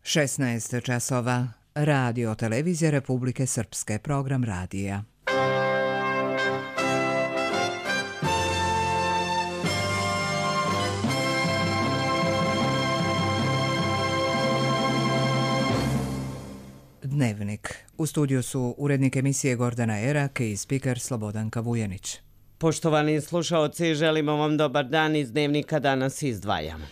16 časova. Radio Televizija Republike Srpske, program radija. Dnevnik. U studiju su urednik emisije Gordana Erak i spiker Slobodanka Vujanić. Poštovani slušaoci, želimo vam dobar dan. Iz Dnevnika danas izdvajamo.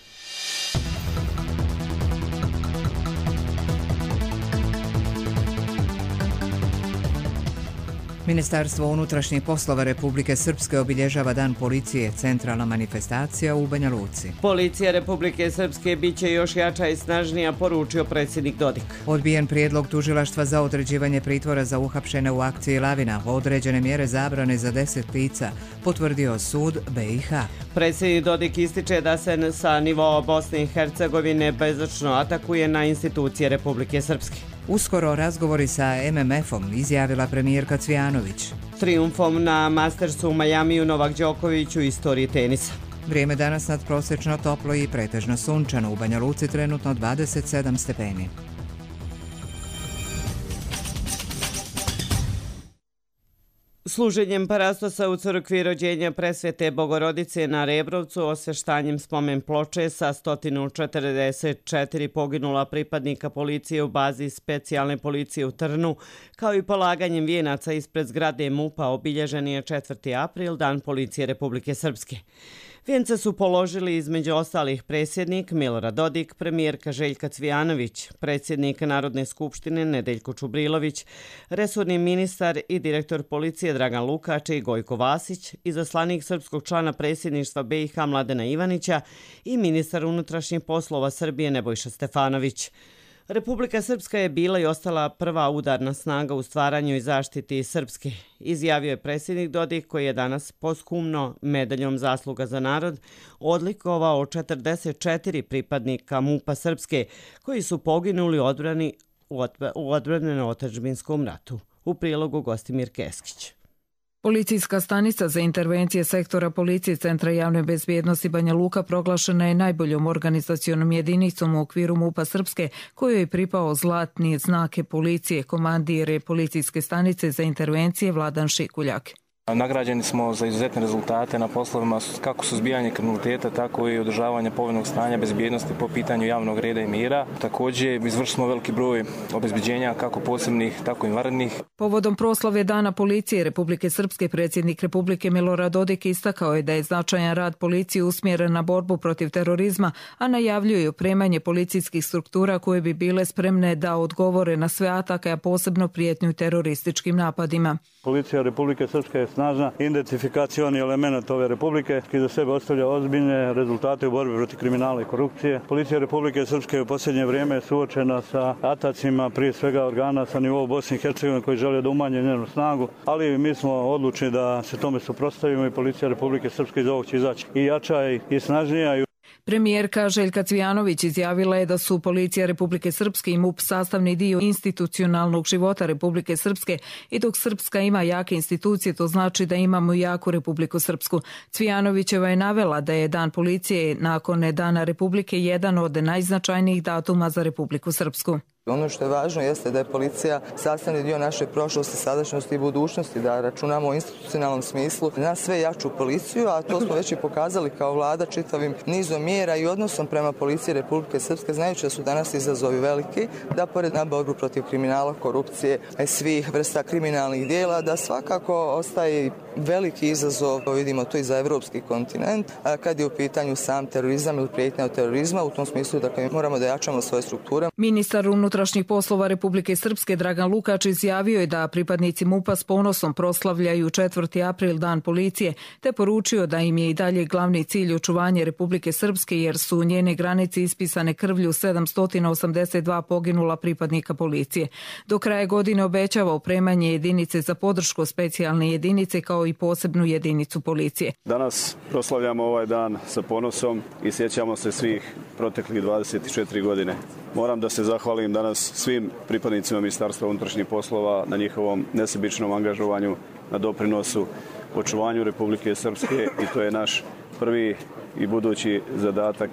Ministarstvo unutrašnjih poslova Republike Srpske obilježava Dan policije, centralna manifestacija u Banja Luci. Policija Republike Srpske biće još jača i snažnija, poručio predsjednik Dodik. Odbijen prijedlog tužilaštva za određivanje pritvora za uhapšene u akciji Lavina, određene mjere zabrane za 10 lica, potvrdio sud BiH. Predsjednik Dodik ističe da se sa nivoa Bosne i Hercegovine bezočno atakuje na institucije Republike Srpske. Uskoro razgovori sa MMF-om, izjavila premijerka Cvijanović. Trijumfom na Mastersu u Majamiju Novak Đoković u istoriji tenisa. Vrijeme danas nadprosječno toplo i pretežno sunčano. U Banja Luci trenutno 27 stepeni. Služenjem parastosa u crkvi rođenja Presvete Bogorodice na Rebrovcu, osvještanjem spomen ploče sa 144 poginula pripadnika policije u bazi specijalne policije u Trnu, kao i polaganjem vijenaca ispred zgrade MUP-a, obilježen je 4. april, Dan policije Republike Srpske. Vijence su položili između ostalih predsjednik Milorad Dodik, premijerka Željka Cvijanović, predsjednik Narodne skupštine Nedeljko Čubrilović, resorni ministar i direktor policije Dragan Lukač i Gojko Vasić, izaslanik srpskog člana predsjedništva BiH Mladena Ivanića i ministar unutrašnjih poslova Srbije Nebojša Stefanović. Republika Srpska je bila i ostala prva udarna snaga u stvaranju i zaštiti Srpske, izjavio je predsjednik Dodik, koji je danas posthumno medaljom Zasluga za narod odlikovao 44 pripadnika MUP-a Srpske koji su poginuli u odbrani na otadžbinskom ratu. U prilogu Gostimir Keskić. Policijska stanica za intervencije sektora policije Centra javne bezbjednosti Banja Luka proglašena je najboljom organizacionom jedinicom u okviru MUP-a Srpske, kojoj je pripao zlatni znake policije, komandir policijske stanice za intervencije Vladan Šikuljak. Nagrađeni smo za izuzetne rezultate na poslovima kako suzbijanje kriminaliteta, tako i održavanje povoljnog stanja bezbjednosti po pitanju javnog reda i mira. Također izvršili smo veliki broj obezbeđenja kako posebnih, tako i vanrednih. Povodom proslave Dana policije Republike Srpske, predsjednik Republike Milorad Dodik istakao je da je značajan rad policije usmjeren na borbu protiv terorizma, a najavljuje opremanje policijskih struktura koje bi bile spremne da odgovore na sve atake, a posebno prijetnju terorističkim napadima. Policija Republike Srpske je snažna identifikacioni element ove republike koji za sebe ostavlja ozbiljne rezultate u borbi protiv kriminala i korupcije. Policija Republike Srpske u posljednje vrijeme je suočena sa atacima, prije svega organa sa nivou Bosne i Hercegovine koji žele da umanje njenu snagu, ali mi smo odlučni da se tome suprotstavimo i Policija Republike Srpske iz ovog će izaći i jača i snažnija. Premijerka Željka Cvijanović izjavila je da su Policija Republike Srpske i MUP sastavni dio institucionalnog života Republike Srpske i dok Srpska ima jake institucije, to znači da imamo jaku Republiku Srpsku. Cvijanovićeva je navela da je Dan policije nakon Dana Republike jedan od najznačajnijih datuma za Republiku Srpsku. Ono što je važno jeste da je policija sastavni dio naše prošlosti, sadašnjosti i budućnosti, da računamo u institucionalnom smislu na sve jaču policiju, a to smo već i pokazali kao vlada čitavim nizom mjera i odnosom prema Policiji Republike Srpske, znajući da su danas izazovi veliki, da pored na borbu protiv kriminala, korupcije, svih vrsta kriminalnih dijela, da svakako ostaje veliki izazov, vidimo to i za evropski kontinent, kad je u pitanju sam terorizam ili prijetnja od terorizma, u tom smislu dakle, moramo da jačamo svoje strukture. Ministar unutrašnjih poslova Republike Srpske Dragan Lukač izjavio je da pripadnici MUP-a s ponosom proslavljaju 4. april Dan policije, te poručio da im je i dalje glavni cilj očuvanje Republike Srpske jer su njene granice ispisane krvlju 782 poginula pripadnika policije. Do kraja godine obećava opremanje jedinice za podršku specijalne jedinice kao i posebnu jedinicu policije. Danas proslavljamo ovaj dan sa ponosom i sjećamo se svih proteklih 24 godine. Moram da se zahvalim danas svim pripadnicima Ministarstva unutrašnjih poslova na njihovom nesebičnom angažovanju, na doprinosu očuvanju Republike Srpske i to je naš prvi i budući zadatak.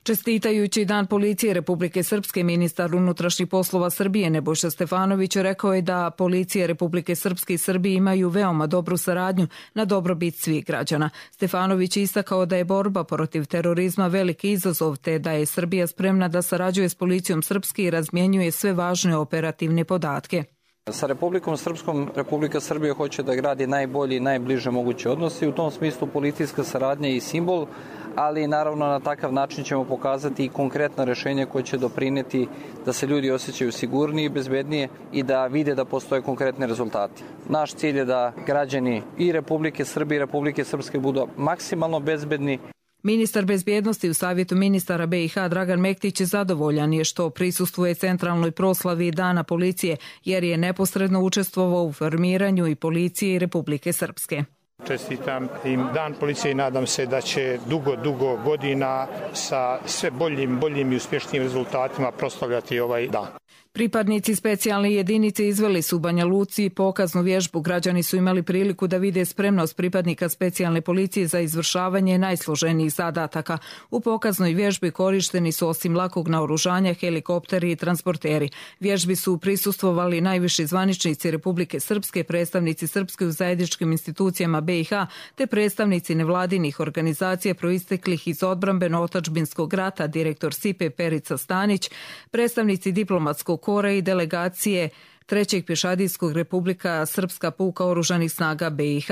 Čestitajući Dan policije Republike Srpske, ministar unutrašnjih poslova Srbije Nebojša Stefanović rekao je da policije Republike Srpske i Srbije imaju veoma dobru saradnju na dobrobit svih građana. Stefanović je istakao da je borba protiv terorizma veliki izazov te da je Srbija spremna da sarađuje s policijom Srpske i razmjenjuje sve važne operativne podatke. Sa Republikom Srpskom Republika Srbija hoće da gradi najbolji i najbliže moguće odnose i u tom smislu policijska saradnja i simbol, ali naravno na takav način ćemo pokazati i konkretna rešenja koje će doprineti da se ljudi osjećaju sigurnije i bezbednije i da vide da postoje konkretne rezultati. Naš cilj je da građani i Republike Srbije i Republike Srpske budu maksimalno bezbedni. Ministar bezbjednosti u Savjetu ministara BiH Dragan Mektić zadovoljan je što prisustvuje centralnoj proslavi Dana policije jer je neposredno učestvovao u formiranju i policije i Republike Srpske. Čestitam im Dan policije i nadam se da će dugo godina sa sve boljim i uspješnijim rezultatima proslavljati ovaj dan. Pripadnici specijalne jedinice izveli su u Banja Luci pokaznu vježbu. Građani su imali priliku da vide spremnost pripadnika specijalne policije za izvršavanje najsloženijih zadataka. U pokaznoj vježbi korišteni su osim lakog naoružanja helikopteri i transporteri. Vježbi su prisustvovali najviši zvaničnici Republike Srpske, predstavnici Srpske u zajedničkim institucijama BiH te predstavnici nevladinih organizacija proisteklih iz odbrambeno-otadžbinskog rata, direktor SIPE Perica Stanić, predstavnici diplomatskog kora i delegacije 3. pješadijskog Republika Srpska puka oružanih snaga BiH.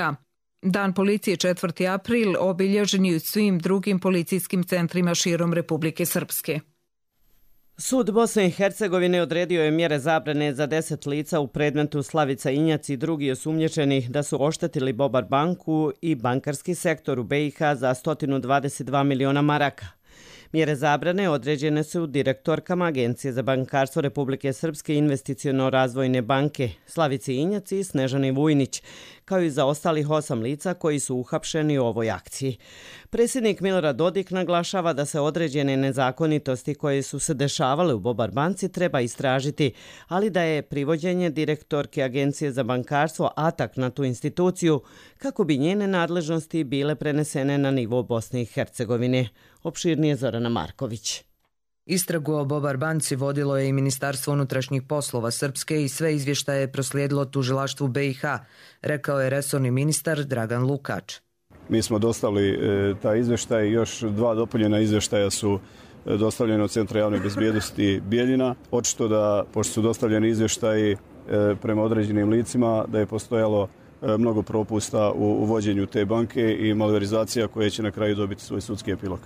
Dan policije 4. april obilježen je u svim drugim policijskim centrima širom Republike Srpske. Sud Bosne i Hercegovine odredio je mjere zabrane za 10 lica u predmetu Slavica Injac i drugi osumnjičeni da su oštetili Bobar banku i bankarski sektor u BiH za 122 miliona maraka. Mjere zabrane određene su direktorkama Agencije za bankarstvo Republike Srpske i investiciono-razvojne banke Slavici Injac i Snežani Vujnić, kao i za ostalih 8 lica koji su uhapšeni u ovoj akciji. Predsjednik Milorad Dodik naglašava da se određene nezakonitosti koje su se dešavale u Bobar banci treba istražiti, ali da je privođenje direktorke Agencije za bankarstvo atak na tu instituciju kako bi njene nadležnosti bile prenesene na nivo Bosne i Hercegovine. Opširnije Zorana Marković. Istragu o Bobar banci vodilo je i Ministarstvo unutrašnjih poslova Srpske i sve izvještaje je proslijedilo tužilaštvu BiH, rekao je resorni ministar Dragan Lukač. Mi smo dostavili taj izvještaj, još 2 dopunjena izvještaja su dostavljene od Centra javne bezbjednosti Bijeljina. Očito da, pošto su dostavljeni izvještaji prema određenim licima, da je postojalo mnogo propusta u vođenju te banke i malverizacija koje će na kraju dobiti svoj sudski epilog.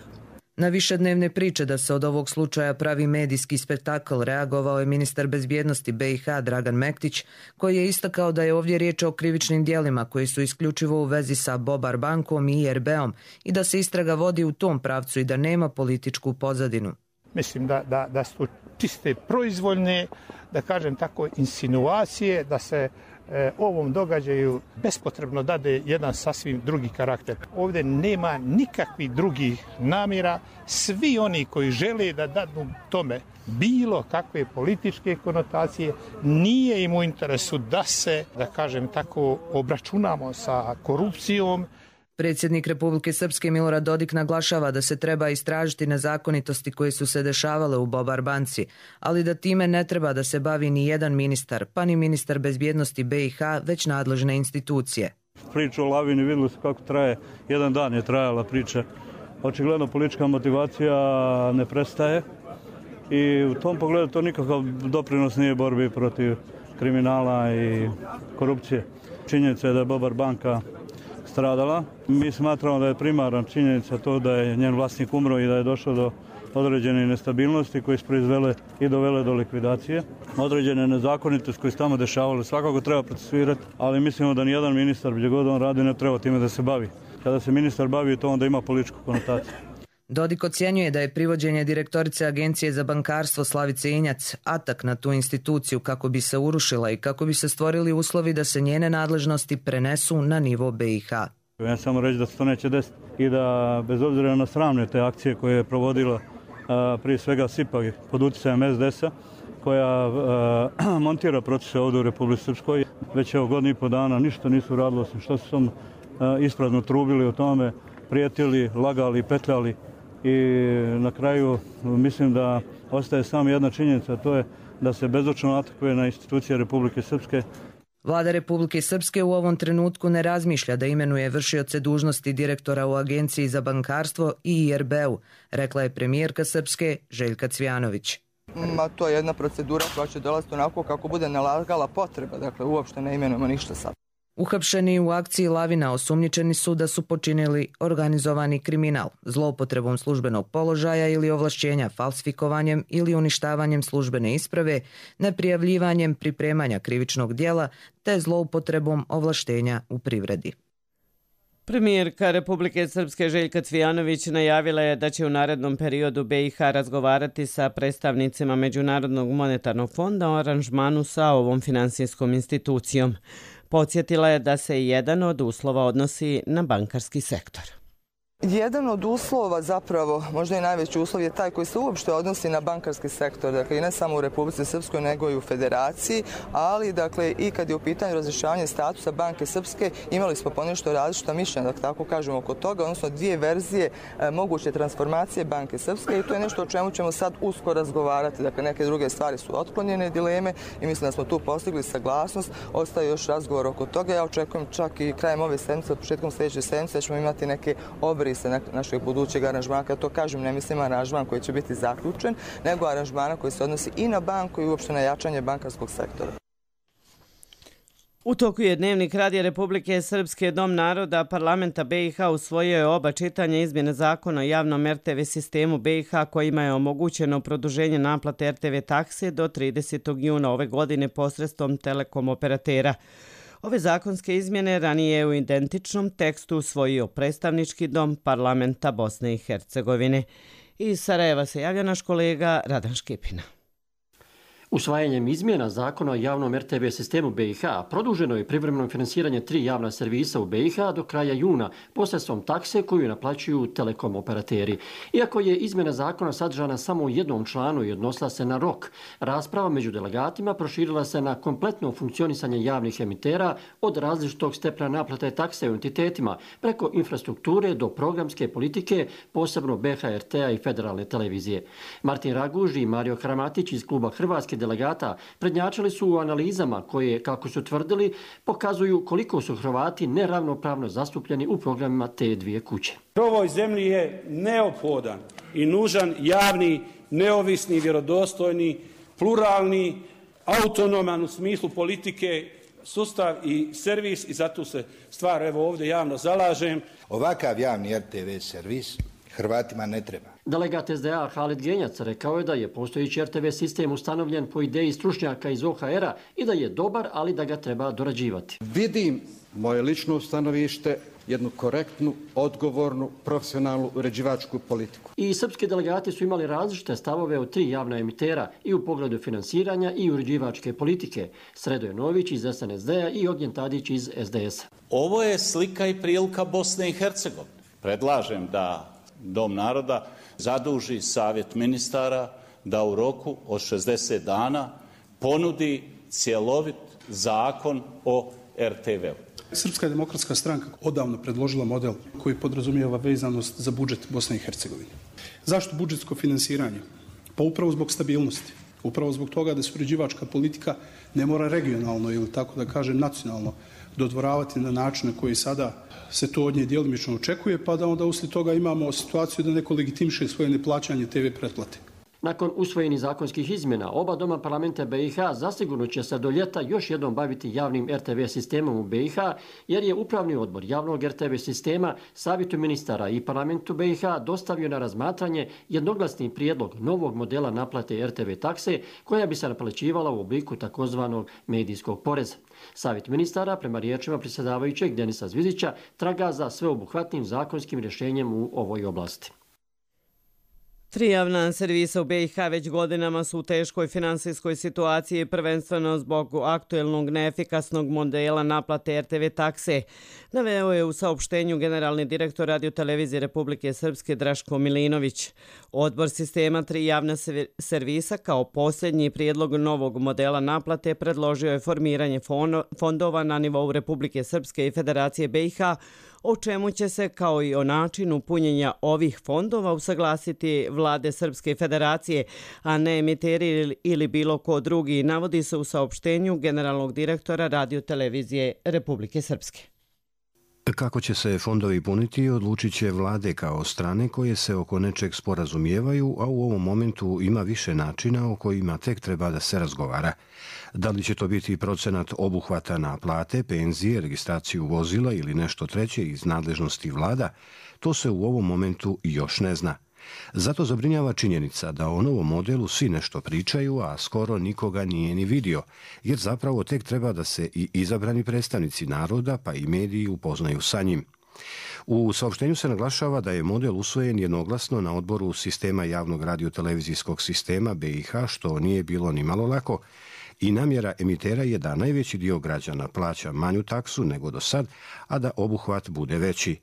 Na višednevne priče da se od ovog slučaja pravi medijski spektakl reagovao je ministar bezbjednosti BiH Dragan Mektić, koji je istakao da je ovdje riječ o krivičnim dijelima koji su isključivo u vezi sa Bobar bankom i IRB-om i da se istraga vodi u tom pravcu i da nema političku pozadinu. Mislim da su čiste proizvoljne, da kažem tako, insinuacije, da se ovom događaju bespotrebno dade jedan sasvim drugi karakter. Ovdje nema nikakvih drugih namjera. Svi oni koji žele da dadu tome bilo kakve političke konotacije, nije im u interesu da se, da kažem tako, obračunamo sa korupcijom. Predsjednik Republike Srpske Milorad Dodik naglašava da se treba istražiti nezakonitosti koje su se dešavale u Bobar banci, ali da time ne treba da se bavi ni jedan ministar, pa ni ministar bezbjednosti BiH, već nadležne institucije. Priča o Lavini vidjeli su kako traje, jedan dan je trajala priča. Očigledno politička motivacija ne prestaje i u tom pogledu to nikakav doprinos nije borbi protiv kriminala i korupcije. Činjenica je da je Bobar banka stradala. Mi smatramo da je primarna činjenica to da je njen vlasnik umro i da je došlo do određene nestabilnosti koje su proizvele i dovele do likvidacije. Određene nezakonitosti koje su tamo dešavale svakako treba procesuirati, ali mislimo da nijedan ministar gdje god on radi ne treba time da se bavi. Kada se ministar bavi to onda ima političku konotaciju. Dodik ocjenjuje da je privođenje direktorice Agencije za bankarstvo Slavice Injac atak na tu instituciju kako bi se urušila i kako bi se stvorili uslovi da se njene nadležnosti prenesu na nivo BiH. Ja samo reći da se to neće desiti i da bez obzira na sramne te akcije koje je provodila prije svega SIPA pod utjecajem SDS-a koja montira procese ovdje u Republici Srpskoj. Već evo godinu i po dana ništa nisu radili osim što su isprazno trubili o tome, prijetili, lagali, petljali i na kraju mislim da ostaje samo jedna činjenica, to je da se bezočno atakuje na institucije Republike Srpske. Vlada Republike Srpske u ovom trenutku ne razmišlja da imenuje vršioce dužnosti direktora u Agenciji za bankarstvo i IRB-u, rekla je premijerka Srpske Željka Cvijanović. To je jedna procedura koja će dolaziti onako kako bude nalagala potreba, dakle uopšte ne imenujemo ništa sad. Uhapšeni u akciji Lavina osumnjičeni su da su počinili organizovani kriminal, zloupotrebom službenog položaja ili ovlašćenja, falsifikovanjem ili uništavanjem službene isprave, neprijavljivanjem pripremanja krivičnog djela te zloupotrebom ovlaštenja u privredi. Premijerka Republike Srpske Željka Cvijanović najavila je da će u narednom periodu BiH razgovarati sa predstavnicima Međunarodnog monetarnog fonda o aranžmanu sa ovom finansijskom institucijom. Podsjetila je da se jedan od uslova odnosi na bankarski sektor. Jedan od uslova, zapravo možda i najveći uslov, je taj koji se uopšte odnosi na bankarski sektor, dakle i ne samo u Republici Srpskoj nego i u Federaciji, ali dakle i kad je u pitanju razrješavanja statusa Banke Srpske imali smo ponešto različita mišljenja, da tako kažemo, oko toga, odnosno dvije verzije moguće transformacije Banke Srpske i to je nešto o čemu ćemo sad uskoro razgovarati, dakle neke druge stvari su otklonjene dileme i mislim da smo tu postigli saglasnost, ostaje još razgovor oko toga, ja očekujem čak i krajem ove sedmice, početkom sljedeće sedmice da ćemo imati neke obrise našeg budućeg aranžmana. Kad to kažem, ne mislim aranžman koji će biti zaključen, nego aranžmana koji se odnosi i na banku i uopšte na jačanje bankarskog sektora. U toku je Dnevnik Radija Republike Srpske Dom naroda parlamenta BiH usvojio je oba čitanja izmjene zakona o javnom RTV sistemu BiH kojima je omogućeno produženje naplate RTV takse do 30. juna ove godine posredstvom telekom operatera. Ove zakonske izmjene ranije je u identičnom tekstu usvojio predstavnički dom parlamenta Bosne i Hercegovine. Iz Sarajeva se javlja naš kolega Radan Škipina. Usvajanjem izmjena zakona o javnom RTV sistemu BiH produženo je privremeno finansiranje 3 javna servisa u BiH do kraja juna posredstvom takse koju naplaćuju telekom operateri. Iako je izmjena zakona sadržana samo u jednom članu i odnosila se na rok, rasprava među delegatima proširila se na kompletno funkcionisanje javnih emitera od različitog stepena naplate takse u entitetima preko infrastrukture do programske politike, posebno BHRT-a i federalne televizije. Martin Raguž i Mario Hramatić iz kluba Hrvatske delegata prednjačili su u analizama koje, kako su tvrdili, pokazuju koliko su Hrvati neravnopravno zastupljeni u programima te dvije kuće. Ovoj zemlji je neophodan i nužan javni, neovisni, vjerodostojni, pluralni, autonoman u smislu politike, sustav i servis i zato se stvar evo ovdje javno zalažem. Ovakav javni RTV servis Hrvatima ne treba. Delegat SDA Halid Genjac rekao je da je postojeći RTV sistem ustanovljen po ideji stručnjaka iz OHR-a i da je dobar, ali da ga treba dorađivati. Vidim moje lično stanovište, jednu korektnu, odgovornu, profesionalnu uređivačku politiku. I srpski delegati su imali različite stavove od 3 javna emitera i u pogledu finansiranja i uređivačke politike. Sredoje Nović iz SNSD-a i Ognjen Tadić iz SDS-a. Ovo je slika i prilika Bosne i Hercegovine. Predlažem da Dom naroda zaduži Savjet ministara da u roku od 60 dana ponudi cjelovit zakon o RTV-u. Srpska demokratska stranka odavno predložila model koji podrazumijeva vezanost za budžet Bosne i Hercegovine. Zašto budžetsko finansiranje? Pa upravo zbog stabilnosti. Upravo zbog toga da se uređivačka politika ne mora regionalno ili tako da kažem nacionalno dodvoravati na način na koji sada se to od nje djelimično očekuje, pa da onda uslijed toga imamo situaciju da neko legitimiše svoje neplaćanje TV pretplate. Nakon usvojenih zakonskih izmjena, oba doma parlamenta BiH zasigurno će se do ljeta još jednom baviti javnim RTV sistemom u BiH, jer je upravni odbor javnog RTV sistema Savjetu ministara i parlamentu BiH dostavio na razmatranje jednoglasni prijedlog novog modela naplate RTV takse koja bi se naplaćivala u obliku takozvanog medijskog poreza. Savjet ministara, prema riječima predsjedavajućeg Denisa Zvizića, traga za sveobuhvatnim zakonskim rješenjem u ovoj oblasti. 3 javna servisa u BiH već godinama su u teškoj finansijskoj situaciji, prvenstveno zbog aktuelnog neefikasnog modela naplate RTV takse. Naveo je u saopštenju generalni direktor radiotelevizije Republike Srpske Draško Milinović. Odbor sistema 3 javna servisa kao posljednji prijedlog novog modela naplate predložio je formiranje fondova na nivou Republike Srpske i Federacije BiH o čemu će se kao i o načinu punjenja ovih fondova usaglasiti vlade Srpske federacije, a ne emiteri ili bilo ko drugi, navodi se u saopštenju generalnog direktora Radio-televizije Republike Srpske. Kako će se fondovi puniti, odlučit će vlade kao strane koje se oko nečeg sporazumijevaju, a u ovom momentu ima više načina o kojima tek treba da se razgovara. Da li će to biti procenat obuhvata na plate, penzije, registraciju vozila ili nešto treće iz nadležnosti vlada, to se u ovom momentu još ne zna. Zato zabrinjava činjenica da o novom modelu svi nešto pričaju, a skoro nikoga nije ni vidio, jer zapravo tek treba da se i izabrani predstavnici naroda pa i mediji upoznaju sa njim. U saopštenju se naglašava da je model usvojen jednoglasno na odboru sistema javnog radiotelevizijskog sistema BiH, što nije bilo ni malo lako, i namjera emitera je da najveći dio građana plaća manju taksu nego do sad, a da obuhvat bude veći.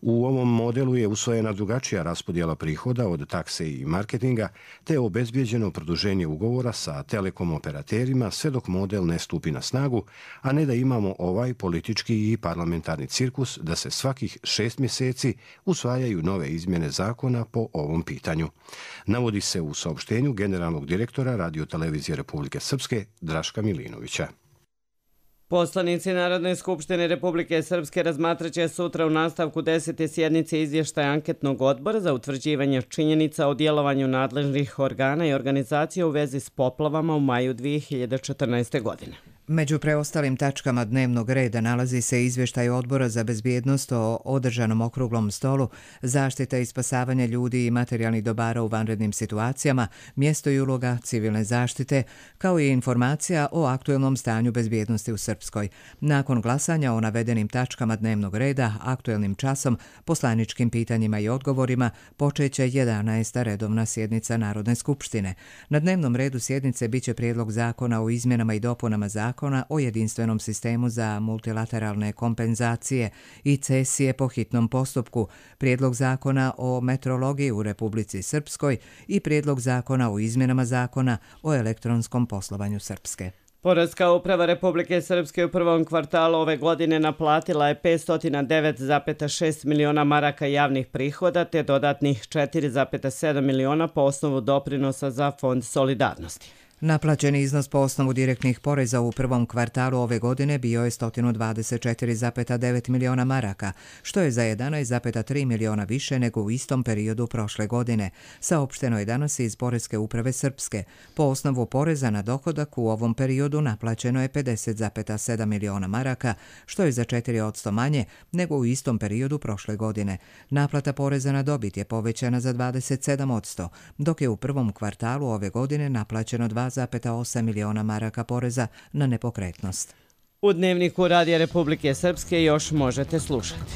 U ovom modelu je usvojena drugačija raspodjela prihoda od takse i marketinga, te je obezbijeđeno produženje ugovora sa telekom operaterima sve dok model ne stupi na snagu, a ne da imamo ovaj politički i parlamentarni cirkus da se svakih 6 mjeseci usvajaju nove izmjene zakona po ovom pitanju. Navodi se u saopštenju generalnog direktora Radio-televizije Republike Srpske Draška Milinovića. Poslanici Narodne skupštine Republike Srpske razmatraće sutra u nastavku 10. sjednice izvještaj anketnog odbora za utvrđivanje činjenica o djelovanju nadležnih organa i organizacija u vezi s poplavama u maju 2014. godine. Među preostalim tačkama dnevnog reda nalazi se izvještaj Odbora za bezbjednost o održanom okruglom stolu, zaštita i spasavanje ljudi i materijalnih dobara u vanrednim situacijama, mjesto i uloga civilne zaštite, kao i informacija o aktuelnom stanju bezbjednosti u Srpskoj. Nakon glasanja o navedenim tačkama dnevnog reda, aktuelnim časom, poslaničkim pitanjima i odgovorima, počeće 11. redovna sjednica Narodne skupštine. Na dnevnom redu sjednice biće prijedlog zakona o izmjenama i dopunama zakona o jedinstvenom sistemu za multilateralne kompenzacije i cesije po hitnom postupku, prijedlog zakona o metrologiji u Republici Srpskoj i prijedlog zakona o izmjenama zakona o elektronskom poslovanju Srpske. Poreska uprava Republike Srpske u prvom kvartalu ove godine naplatila je 509,6 miliona maraka javnih prihoda te dodatnih 4,7 miliona po osnovu doprinosa za Fond solidarnosti. Naplaćeni iznos po osnovu direktnih poreza u prvom kvartalu ove godine bio je 124,9 miliona maraka, što je za 11,3 miliona više nego u istom periodu prošle godine. Saopšteno je danas iz Poreske uprave Srpske. Po osnovu poreza na dohodak u ovom periodu naplaćeno je 50,7 miliona maraka, što je za 4% manje nego u istom periodu prošle godine. Naplata poreza na dobit je povećana za 27%, dok je u prvom kvartalu ove godine naplaćeno 2,8 miliona maraka poreza na nepokretnost. U dnevniku Radija Republike Srpske još možete slušati.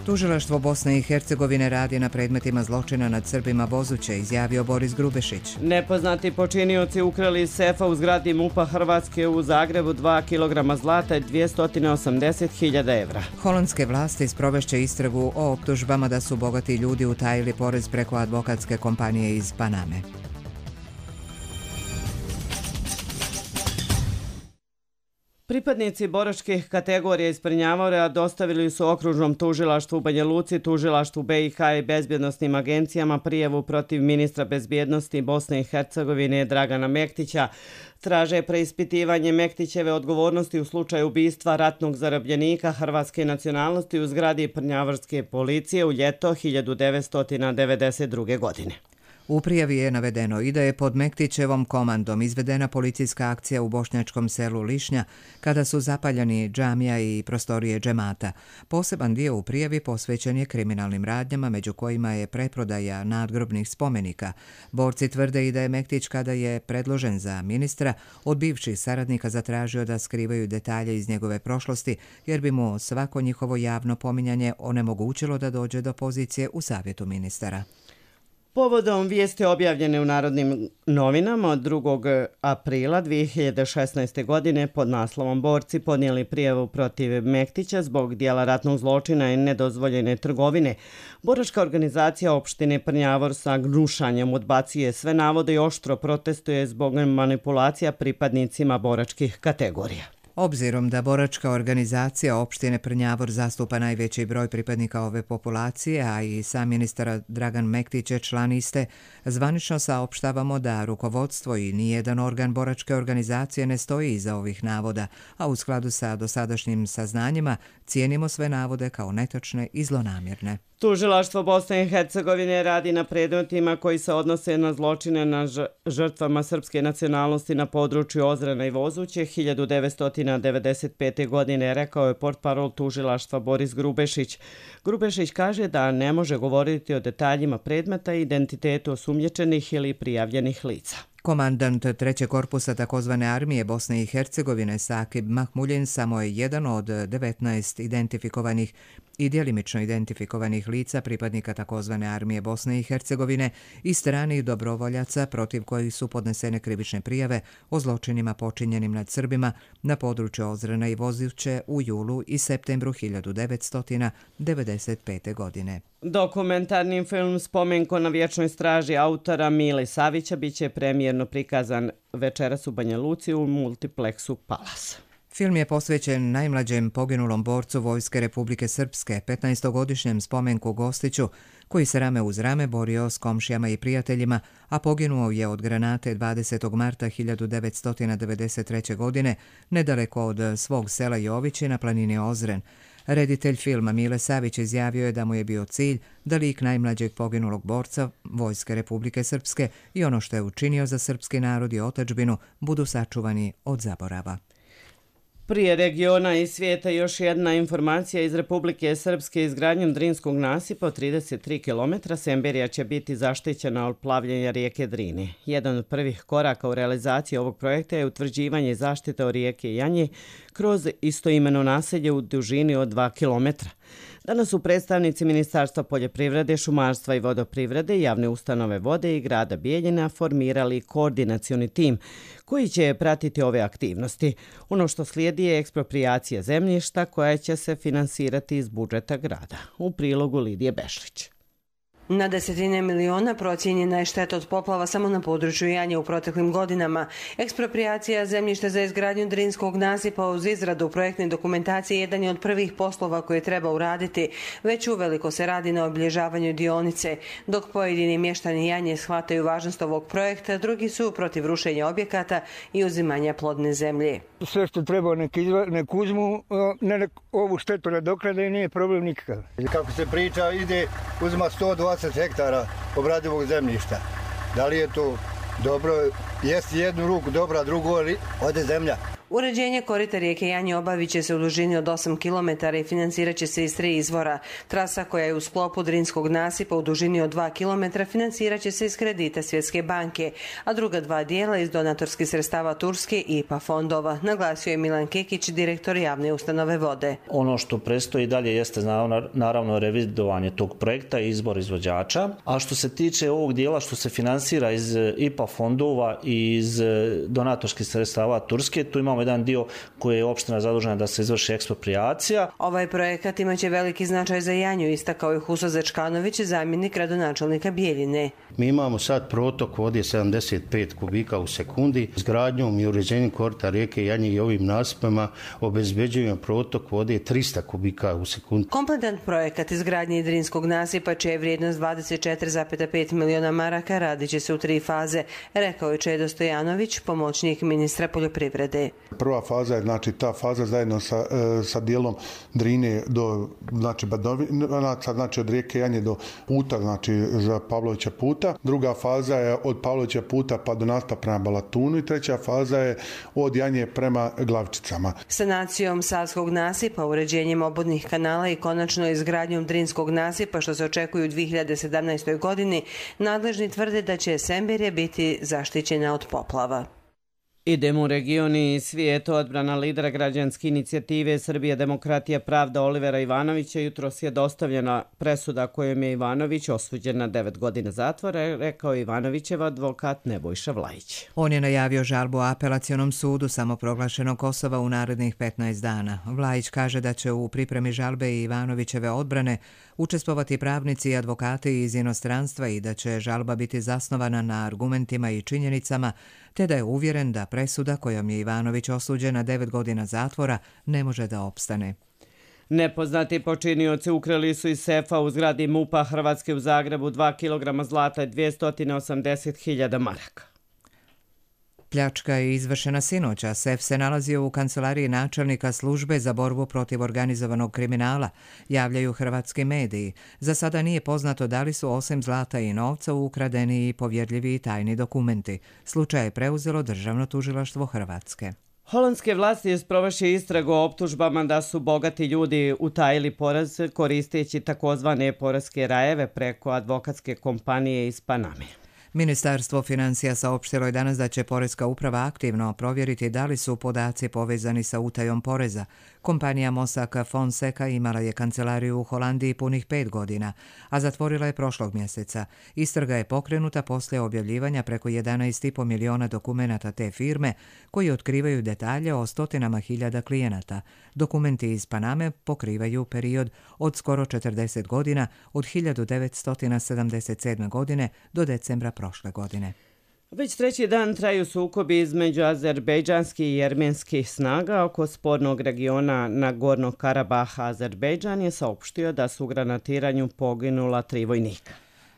Tužilaštvo Bosne i Hercegovine radi na predmetima zločina nad Srbima Bozuće, izjavio Boris Grubešić. Nepoznati počinioci ukrali iz sefa u zgradi MUP-a Hrvatske u Zagrebu 2 kg zlata i 280.000 evra. Holandske vlasti sprovešće istragu o optužbama da su bogati ljudi utajili porez preko advokatske kompanije iz Paname. Pripadnici boračkih kategorija iz Prnjavora dostavili su okružnom tužilaštvu u Banja Luci, tužilaštvu BiH i bezbjednostnim agencijama prijavu protiv ministra bezbjednosti Bosne i Hercegovine Dragana Mektića. Traže preispitivanje Mektićeve odgovornosti u slučaju ubistva ratnog zarobljenika hrvatske nacionalnosti u zgradi Prnjavorske policije u ljeto 1992. godine. U prijavi je navedeno i da je pod Mektićevom komandom izvedena policijska akcija u bošnjačkom selu Lišnja kada su zapaljeni džamija i prostorije džemata. Poseban dio u prijavi posvećen je kriminalnim radnjama, među kojima je preprodaja nadgrobnih spomenika. Borci tvrde i da je Mektić, kada je predložen za ministra, od bivših saradnika zatražio da skrivaju detalje iz njegove prošlosti, jer bi mu svako njihovo javno pominjanje onemogućilo da dođe do pozicije u savjetu ministara. Povodom vijesti objavljene u Narodnim novinama od 2. aprila 2016. godine pod naslovom Borci podnijeli prijavu protiv Mektića zbog dijela ratnog zločina i nedozvoljene trgovine, boračka organizacija opštine Prnjavor sa gnušanjem odbacuje sve navode i oštro protestuje zbog manipulacija pripadnicima boračkih kategorija. Obzirom da boračka organizacija opštine Prnjavor zastupa najveći broj pripadnika ove populacije, a i sam ministar Dragan Mektić je član iste, zvanično saopštavamo da rukovodstvo i nijedan organ boračke organizacije ne stoji iza ovih navoda, a u skladu sa dosadašnjim saznanjima cijenimo sve navode kao netočne i zlonamjerne. Tužilaštvo Bosne i Hercegovine radi na predmetima koji se odnose na zločine na žrtvama srpske nacionalnosti na području Ozrena i Vozuće 1995. godine, rekao je portparol tužilaštva Boris Grubešić. Grubešić kaže da ne može govoriti o detaljima predmeta i identitetu osumnjičenih ili prijavljenih lica. Komandant 3. korpusa takozvane armije Bosne i Hercegovine Sakib Mahmuljin samo je jedan od 19 identifikovanih i djelimično identifikovanih lica pripadnika takozvane armije Bosne i Hercegovine i stranih dobrovoljaca protiv kojih su podnesene krivične prijave o zločinima počinjenim nad Srbima na području Ozrena i Vozuće u julu i septembru 1995. godine. Dokumentarni film Spomenko na vječnoj straži autora Mile Savića biće premijerno prikazan večeras u Banja Luci u multipleksu Palas. Film je posvećen najmlađem poginulom borcu Vojske Republike Srpske, 15-godišnjem Spomenku Gostiću, koji se rame uz rame borio s komšijama i prijateljima, a poginuo je od granate 20. marta 1993. godine nedaleko od svog sela Jovići na planini Ozren. Reditelj filma Mile Savić izjavio je da mu je bio cilj da lik najmlađeg poginulog borca Vojske Republike Srpske i ono što je učinio za srpski narod i otadžbinu budu sačuvani od zaborava. Prije regiona i svijeta još jedna informacija iz Republike Srpske. Izgradnjom Drinskog nasipa od 33 km Semberija će biti zaštićena od plavljenja rijeke Drine. Jedan od prvih koraka u realizaciji ovog projekta je utvrđivanje zaštite od rijeke Janje kroz istoimeno naselje u dužini od 2 km. Danas su predstavnici Ministarstva poljoprivrede, šumarstva i vodoprivrede, javne ustanove vode i grada Bijeljina formirali koordinacioni tim koji će pratiti ove aktivnosti. Ono što slijedi je eksproprijacija zemljišta koja će se finansirati iz budžeta grada. U prilogu Lidije Bešlić. Na desetine miliona procijenjena je šteta od poplava samo na području Janje u proteklim godinama. Eksproprijacija zemljišta za izgradnju Drinskog nasipa uz izradu projektne dokumentacije jedan je od prvih poslova koje treba uraditi. Već uveliko se radi na obilježavanju dionice. Dok pojedini mještani Janje shvataju važnost ovog projekta, drugi su protiv rušenja objekata i uzimanja plodne zemlje. Sve što treba nek uzmu, ovu štetu nadoknade i nije problem nikakav. Kako se priča, uzima 120 hektara obradivog zemljišta. Da li je to dobro? Jeste jednu ruku dobra, drugu ode zemlja. Uređenje korita rijeke Janje obavit će se u dužini od 8 km i financirat će se iz 3 izvora. Trasa koja je u sklopu Drinskog nasipa u dužini od 2 km financirat će se iz kredita Svjetske banke, a druga 2 dijela iz donatorskih sredstava Turske i IPA fondova, naglasio je Milan Kekić, direktor javne ustanove vode. Ono što predstoji dalje jeste naravno revidovanje tog projekta i izbor izvođača, a što se tiče ovog dijela što se finansira iz IPA fondova i iz donatorskih sredstava Turske, tu imamo jedan dio koji je opština zadužena da se izvrši eksproprijacija. Ovaj projekat imaće veliki značaj za Janju, istakao je Huso Zečkanović, zamjenik gradonačelnika Bijeljine. Mi imamo sad protok vode 75 kubika u sekundi. Izgradnjom i uređenjem korita rijeke Janje i ovim nasipima obezbeđujemo protok vode 300 kubika u sekundi. Kompletan projekat izgradnje Drinskog nasipa, čija je vrijednost 24,5 miliona maraka, radit će se u 3 faze, rekao je Čedo Stojanović, pomoćnik ministra poljoprivrede. Prva faza je ta faza zajedno sa dijelom Drine do Badovinaca, od rijeke Janje do puta, za Pavlovića puta. Druga faza je od Pavlovića puta pa do Nasta prema Balatunu i treća faza je od Janje prema Glavčicama. Sanacijom Savskog nasipa, uređenjem obodnih kanala i konačno izgradnjom Drinskog nasipa, što se očekuje u 2017. godini, nadležni tvrde da će Semberija biti zaštićena od poplava. Idemo u region i svijet. Odbrana lidera građanske inicijative Srbija, demokratija, pravda Olivera Ivanovića jutros je dostavljena presuda kojom je Ivanović osuđen na 9 godina zatvora, rekao Ivanovićev advokat Nebojša Vlajić. On je najavio žalbu apelacionom sudu samoproglašenog Kosova u narednih 15 dana. Vlajić kaže da će u pripremi žalbe i Ivanovićeve odbrane učestvovati pravnici i advokati iz inostranstva i da će žalba biti zasnovana na argumentima i činjenicama, te da je uvjeren da presuda kojom je Ivanović osuđen na 9 godina zatvora ne može da opstane. Nepoznati počinioci ukrali su iz sefa u zgradi MUP-a Hrvatske u Zagrebu 2 kg zlata i 280.000 maraka. Pljačka je izvršena sinoć, a sef se nalazio u kancelariji načelnika službe za borbu protiv organizovanog kriminala, javljaju hrvatski mediji. Za sada nije poznato da li su osim zlata i novca ukradeni i povjerljivi i tajni dokumenti. Slučaj je preuzelo Državno tužilaštvo Hrvatske. Holandske vlasti sprovešće istragu o optužbama da su bogati ljudi utajili porez koristeći takozvane poreske rajeve preko advokatske kompanije iz Paname. Ministarstvo financija saopštilo je danas da će Poreska uprava aktivno provjeriti da li su podaci povezani sa utajom poreza. Kompanija Mossack Fonseca imala je kancelariju u Holandiji punih 5 godina, a zatvorila je prošlog mjeseca. Istraga je pokrenuta poslije objavljivanja preko 11,5 miliona dokumenata te firme koji otkrivaju detalje o stotinama hiljada klijenata. Dokumenti iz Paname pokrivaju period od skoro 40 godina, od 1977. godine do decembra prošle godine. Već treći dan traju sukobi između azerbejdžanskih i jermenskih snaga oko spornog regiona Nagornog Karabaha. Azerbejdžan je saopštio da su u granatiranju poginula 3 vojnika.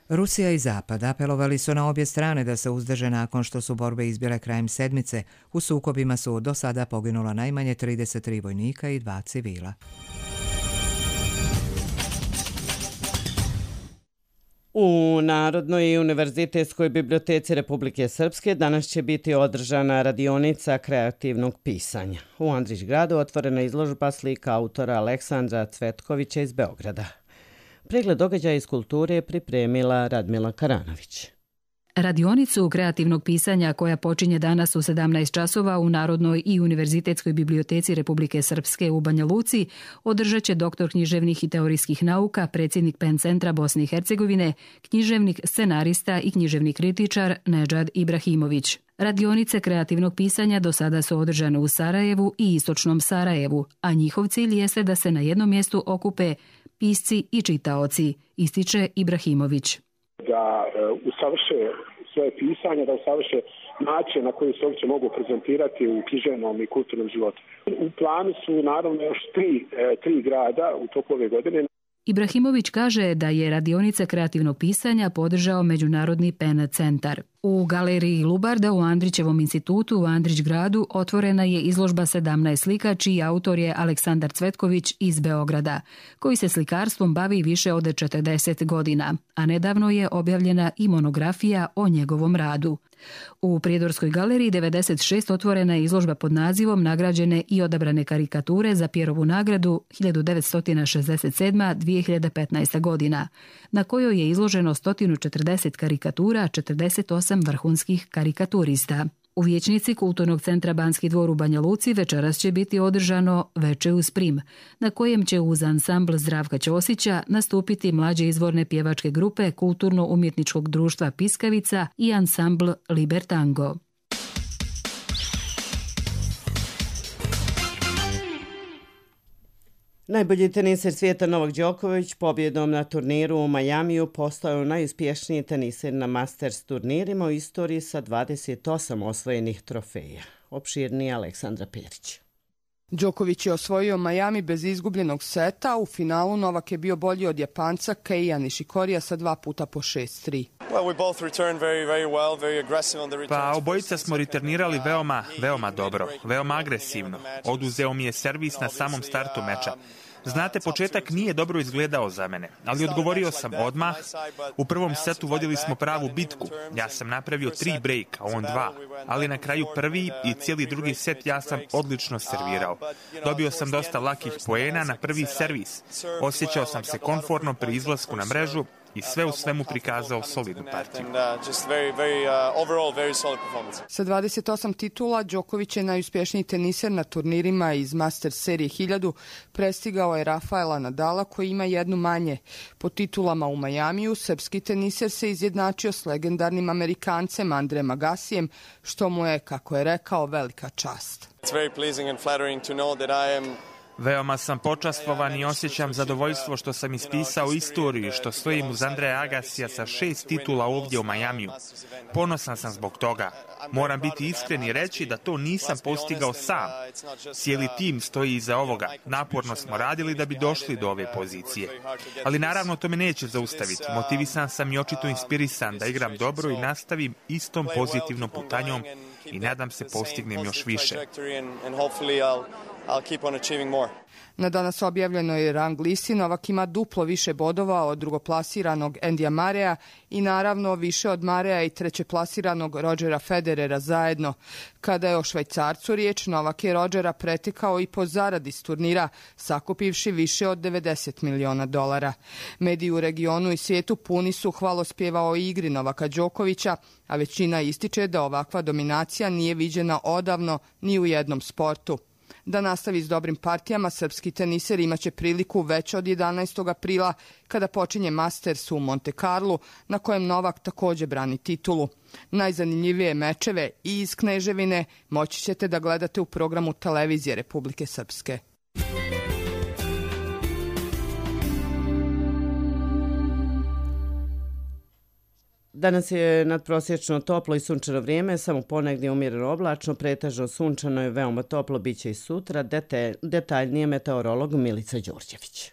Rusija i Zapad apelovali su na obje strane da se uzdrže nakon što su borbe izbile krajem sedmice. U sukobima su do sada poginula najmanje 33 vojnika i 2 civila. U Narodnoj i univerzitetskoj biblioteci Republike Srpske danas će biti održana radionica kreativnog pisanja. U Andrićgradu otvorena izložba slika autora Aleksandra Cvetkovića iz Beograda. Pregled događaja iz kulture je pripremila Radmila Karanović. Radionicu kreativnog pisanja koja počinje danas u 17 časova u Narodnoj i univerzitetskoj biblioteci Republike Srpske u Banja Luci održat će doktor književnih i teorijskih nauka, predsjednik PEN centra Bosne i Hercegovine, književnik, scenarista i književni kritičar Nedžad Ibrahimović. Radionice kreativnog pisanja do sada su održane u Sarajevu i istočnom Sarajevu, a njihov cilj jeste da se na jednom mjestu okupe pisci i čitaoci, ističe Ibrahimović. Da usavrše svoje pisanje, da usavrše način na koji se uopće mogu prezentirati u književnom i kulturnom životu. U planu su naravno još tri grada u toku ove godine. Ibrahimović kaže da je radionice kreativnog pisanja podržao Međunarodni PEN centar. U galeriji Lubarda u Andrićevom institutu u Andrićgradu otvorena je izložba 17 slika čiji autor je Aleksandar Cvetković iz Beograda, koji se slikarstvom bavi više od 40 godina, a nedavno je objavljena i monografija o njegovom radu. U Prijedorskoj galeriji 96 otvorena je izložba pod nazivom Nagrađene i odabrane karikature za Pjerovu nagradu 1967-2015 godina, na kojoj je izloženo 140 karikatura, 48 vrhunskih karikaturista. U vijećnici Kulturnog centra Banski dvor u Banja Luci večeras će biti održano Veče uz prim, na kojem će uz ansambl Zdravka Ćosića nastupiti mlađe izvorne pjevačke grupe Kulturno-umjetničkog društva Piskavica i ansambl Libertango. Najbolji teniser svijeta Novak Đoković pobjedom na turniru u Majamiju postao najuspješniji teniser na Masters turnirima u istoriji sa 28 osvojenih trofeja. Opširniji Aleksandra Perić. Đoković je osvojio Miami bez izgubljenog seta. U finalu Novak je bio bolji od Japanca Keija Nishikorija sa 2 puta po 6-3. Pa obojica smo returnirali veoma dobro, veoma agresivno. Oduzeo mi je servis na samom startu meča. Znate, početak nije dobro izgledao za mene, ali odgovorio sam odmah. U prvom setu vodili smo pravu bitku. Ja sam napravio 3 brejka, on 2. Ali na kraju prvi i cijeli drugi set ja sam odlično servirao. Dobio sam dosta lakih poena na prvi servis. Osjećao sam se komfortno pri izlasku na mrežu i sve u svemu prikazao solidnu partiju. Sa 28 titula, Đoković je najuspješniji teniser na turnirima iz Masters serije 1000. Prestigao je Rafaela Nadala koji ima jednu manje. Po titulama u Majamiju, srpski teniser se izjednačio s legendarnim Amerikancem Andrejem Agassijem, što mu je, kako je rekao, velika čast. Veoma sam počastvovan i osjećam zadovoljstvo što sam ispisao istoriju i što stojim uz Andreja Agasija sa 6 titula ovdje u Majamiju. Ponosan sam zbog toga. Moram biti iskren i reći da to nisam postigao sam. Cijeli tim stoji iza ovoga. Naporno smo radili da bi došli do ove pozicije. Ali naravno to me neće zaustaviti. Motivisan sam i očito inspirisan da igram dobro i nastavim istom pozitivnom putanjom i nadam se postignem još više. Na danas objavljenoj rang listi Novak ima duplo više bodova od drugoplasiranog Endija Mareja i naravno više od Mareja i trećeplasiranog Rodgera Federera zajedno. Kada je o Švajcarcu riječ, Novak je Rodgera pretekao i po zaradi s turnira, sakupivši više od $90 miliona. Mediji u regionu i svijetu puni su hvalospjeva o igri Novaka Đokovića, a većina ističe da ovakva dominacija nije viđena odavno ni u jednom sportu. Da nastavi s dobrim partijama, srpski teniser imaće priliku već od 11. aprila kada počinje Masters u Monte Carlu, na kojem Novak također brani titulu. Najzanimljivije mečeve i iz Kneževine moći ćete da gledate u programu televizije Republike Srpske. Danas je nadprosječno toplo i sunčano vrijeme, samo ponegdje umjereno oblačno, pretežno sunčano i veoma toplo biće i sutra. Detaljnije meteorolog Milica Đorđević.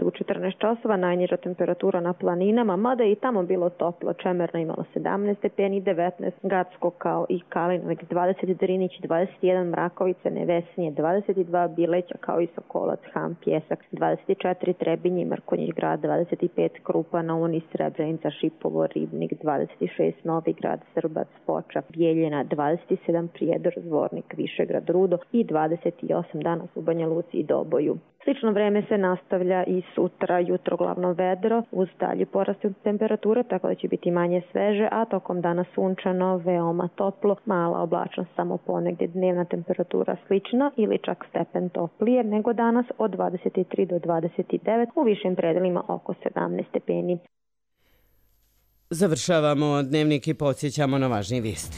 U 14 časova najniža temperatura na planinama, mada je i tamo bilo toplo. Čemerno imalo 17 stepeni, 19 Gacko kao i Kalinovac 20, Drinić 21, Mrakovica, Nevesinje 22, Bileća kao i Sokolac, Ham, Pjesak 24, Trebinje, Mrkonjić grad 25, Krupa, Naunis, Srebrenica, Šipovo, Ribnik 26, Novi grad, Srbac, Foča, Bijeljina 27, Prijedor, Zvornik, Višegrad, Rudo i 28 danas u Banja Luci i Doboju. Slično vreme se nastavlja i sutra, jutro glavno vedro, uz dalji porast temperature, tako da će biti manje sveže, a tokom dana sunčano, veoma toplo, mala oblačnost samo ponegdje, dnevna temperatura slična ili čak stepen toplije nego danas od 23 do 29, u višim predelima oko 17 stepeni. Završavamo dnevnik i podsjećamo na važnije vijesti.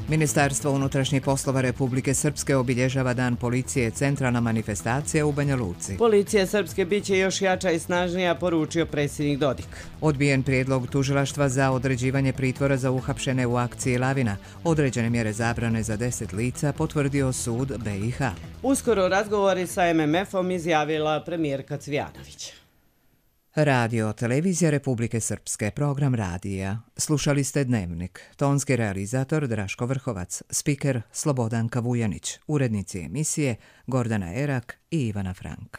Ministarstvo unutrašnjih poslova Republike Srpske obilježava Dan policije, centralna manifestacija u Banja Luci. Policija Srpske biće još jača i snažnija, poručio predsjednik Dodik. Odbijen prijedlog tužilaštva za određivanje pritvora za uhapšene u akciji Lavina. Određene mjere zabrane za 10 lica potvrdio sud BiH. Uskoro razgovori sa MMF-om izjavila premijerka Cvijanović. Radio, televizija Republike Srpske, program radija. Slušali ste Dnevnik. Tonski realizator Draško Vrhovac, spiker Slobodanka Vujanić, urednici emisije Gordana Erak i Ivana Frank.